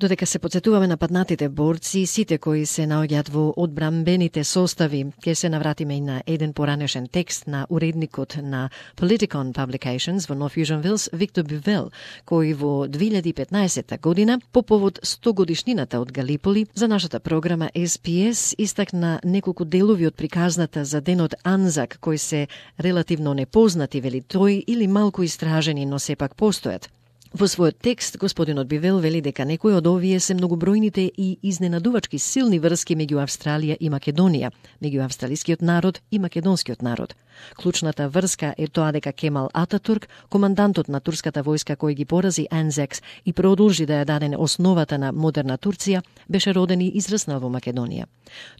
Додека се потсетуваме на паднатите борци, сите кои се наоѓаат во одбрамбените состави, ќе се навратиме и на еден поранешен текст на уредникот на Politicon Publications во North Fusion Wills, Виктор Бивел, кој во 2015 година, по повод 100 годишнината од Галиполи, за нашата програма SPS истакна неколку делови од приказната за денот Анзак, кои се релативно непознати, вели тој, или малку истражени, но сепак постојат. Во својот текст, господинот Бивел вели дека некои од овие се многобројните и изненадувачки силни врски меѓу Австралија и Македонија, меѓу австралискиот народ и македонскиот народ. Клучната врска е тоа дека Кемал Ататурк, командантот на турската војска кој ги порази Анзакс и продолжи да ја даде основата на модерна Турција, беше роден и израснал во Македонија.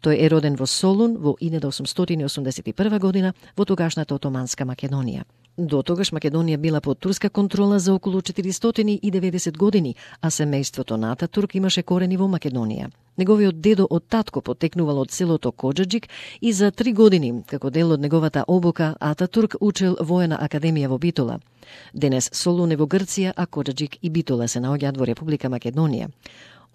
Тој е роден во Солун во 1881 година во тогашната Отоманска Македонија. До тогаш Македонија била под турска контрола за околу 490 години, а семејството на Ататурк имаше корени во Македонија. Неговиот дедо од татко потекнувал од селото Коджаджик и за 3 години, како дел од неговата обука, Ататурк учел воена академија во Битола. Денес Солун е во Грција, а Коджаджик и Битола се наоѓаат во Република Македонија.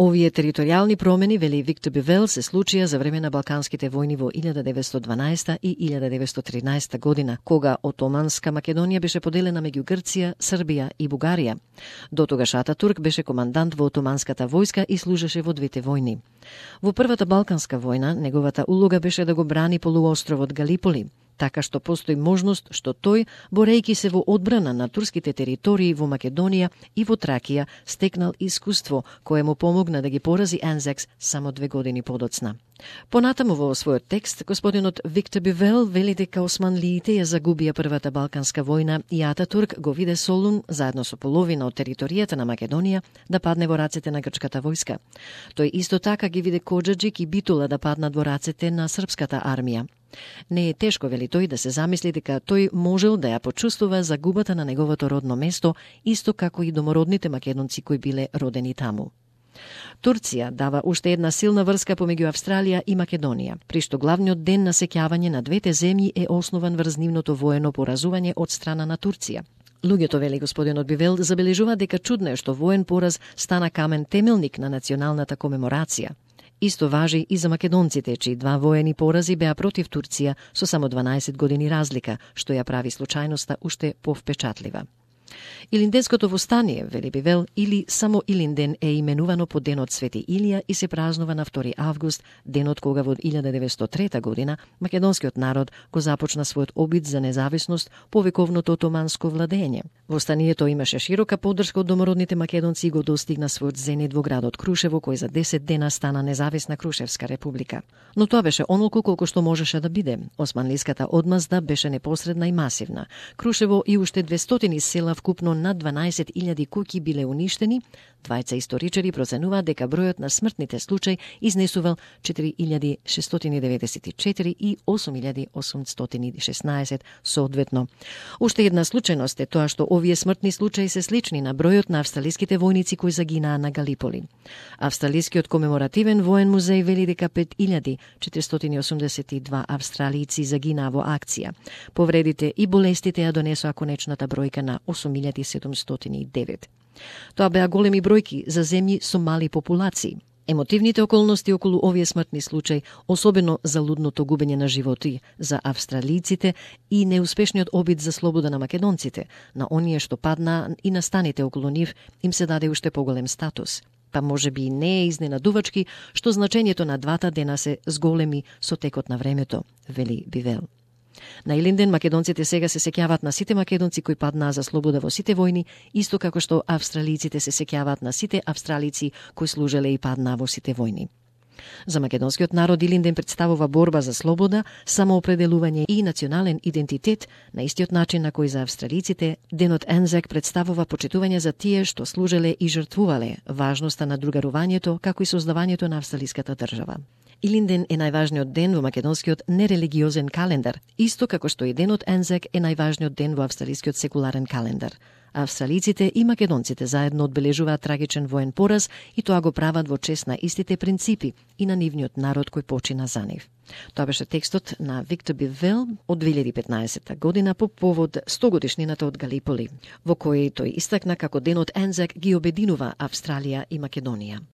Овие територијални промени, вели Виктор Бивел, се случија за време на Балканските војни во 1912 и 1913 година, кога Отоманска Македонија беше поделена меѓу Грција, Србија и Бугарија. До тогаш Ататурк беше командант во Отоманската војска и служеше во двете војни. Во Првата Балканска војна, неговата улога беше да го брани полуостровот Галиполи, така што постои можност што тој, борејќи се во одбрана на турските територии во Македонија и во Тракија, стекнал искуство кое му помогна да ги порази Анзакс само 2 години подоцна. Понатаму во својот текст, господинот Виктор Бивел вели дека османлиите ја загубија Првата Балканска војна и Ататурк го виде Солун, заедно со половина од територијата на Македонија, да падне во рацете на грчката војска. Тој исто така ги виде Коджаджик и Битола да паднат во рацете на српската армија. Не е тешко, вели тој, да се замисли дека тој можел да ја почувствува загубата на неговото родно место, исто како и домородните македонци кои биле родени таму. Турција дава уште една силна врска помеѓу Австралија и Македонија, при што главниот ден на сеќавање на двете земји е основан врз нивното воено поразување од страна на Турција. Луѓето, вели господинот Бивел, забележува дека чудно е што воен пораз стана камен темелник на националната комеморација. Исто важи и за македонците, чии 2 воени порази беа против Турција со само 12 години разлика, што ја прави случајноста уште повпечатлива. Илинденското востание, вели Бивел, или само Илинден е именувано по денот Свети Илија и се празнува на 2 август, денот кога во 1903 година македонскиот народ го започна својот обид за независност по вековното отоманско владење. Востанието имаше широка поддршка од домородните македонци и го достигна својот зенит во градот Крушево, кој за 10 дена стана независна Крушевска република. Но тоа беше онолку колку што можеше да биде. Османлиската одмазда беше непосредна и масивна. Крушево и уште 200 села вкупно над 12.000 куќи биле уништени. Двајца историчари проценуваат дека бројот на смртните случаи изнесувал 4.694 и 8.816 соодветно. Уште една случајност е тоа што овие смртни случаи се слични на бројот на австралиските војници кои загинаа на Галиполи. Австралискиот комеморативен воен музеј вели дека 5.482 австралици загинаа во акција. Повредите и болестите ја донесоа конечната бројка на 8.709. Тоа беа големи бројки за земји со мали популации. Емотивните околности околу овие смртни случаи, особено за лудното губење на животи за австралиците и неуспешниот обид за слобода на македонците, на оние што падна и настаните околу нив, им се даде уште поголем статус. Па може би не е изненадувачки што значењето на двата дена се зголеми со текот на времето, вели Бивел. На Илинден македонците сега се сеќаваат на сите македонци кои паднаа за слобода во сите војни, исто како што австралиците се сеќаваат на сите австралици кои служеле и паднаа во сите војни. За македонскиот народ Илинден представува борба за слобода, самоопределување и национален идентитет, на истиот начин на кој за австралиците денот Анзак представува почитување за тие што служеле и жртвувале, важноста на другарувањето, како и создавањето на австралиската држава. Илинден е најважниот ден во македонскиот нерелигиозен календар, исто како што и денот Анзак е најважниот ден во австралискиот секуларен календар. Австралиците и македонците заедно одбележуваат трагичен воен пораз и тоа го прават во чест на истите принципи и на нивниот народ кој почина за нив. Тоа беше текстот на Виктор Бивел од 2015 година по повод 100 годишнината од Галиполи, во кој тој истакна како денот Анзак ги обединува Австралија и Македонија.